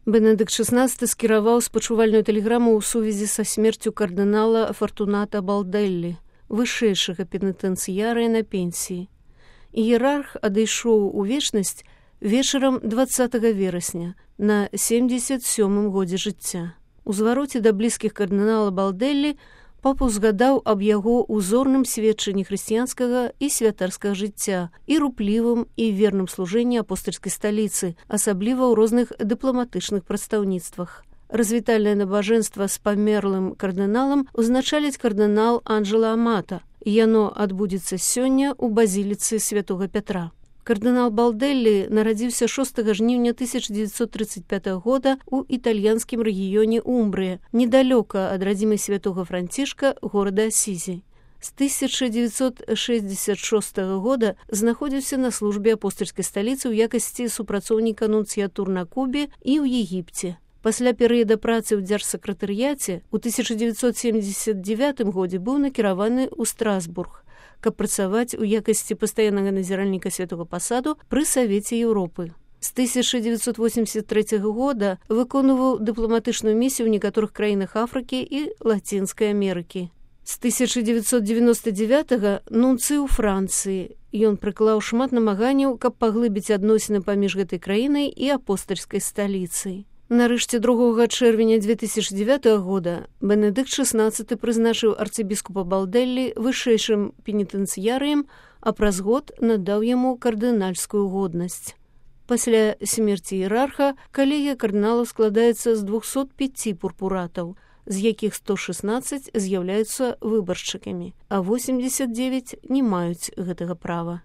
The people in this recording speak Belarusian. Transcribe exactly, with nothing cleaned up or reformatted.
Бенедыкт шэснаццаты скіраваў спачувальную тэлеграму ў сувязі са смерцю кардынала Фартуната Балдэллі, вышэйшага пенітэнцыярыя на пенсіі. Іерарх адышоў у вечнасць вечарам дваццатага верасня на семдзесят сёмым годзе жыцця. У звароце да блізкіх кардынала Балдэллі папа ўзгадаў аб яго узорным сведчанні хрысціянскага і святарскага жыцця і руплівым і верным служэнні апостальскай сталіцы, асабліва ў розных дыпламатычных прадстаўніцтвах. Развітальнае набажэнства з памерлым кардыналам узначаліць кардынал Анджела Амата. Яно адбудзецца сёння ў базіліцы святога Пятра. Кардынал Балдэллі нарадзіўся шостага жніўня тысяча дзевяцьсот трыццаць пятага года ў італьянскім рэгіёне Умбрыя, недалёка ад радзімы святога Францішка, горада Асізі. З тысяча дзевяцьсот шэсцьдзесят шостага года знаходзіўся на службе апостальскай сталіцы ў якасці супрацоўніка нунцыятур на Кубе і ў Егіпце. Пасля перыяда працы ў дзяржсакратарыяце ў тысяча дзевяцьсот семдзесят дзевятым годзе быў накіраваны ў Страсбург, каб працаваць у якасці пастаяннага назіральніка святога пасаду пры Савеце Еўропы. З тысяча дзевяцьсот восемьдесят трэцяга года выконваў дыпламатычную місію ў некаторых краінах Афрыкі і Лацінскай Амерыкі. З тысяча дзевяцьсот девяносто девятага нунцый у Францыі. Ён прыклаў шмат намаганняў, каб паглыбіць адносіны паміж гэтай краінай і апостальскай сталіцай. Нарэшце другога чэрвеня две тысячи дзевятага года Бенедыкт шэснаццаты прызначыў арцыбіскупа Балдэллі вышэйшым пенітэнцыярыем, а праз год надаў яму кардынальскую годнасць. Пасля смерці іерарха калегія кардыналаў складаецца з двухсот пяці пурпуратаў, з якіх сто шэснаццаць з'яўляюцца выбаршчыкамі, а восемьдесят девять не маюць гэтага права.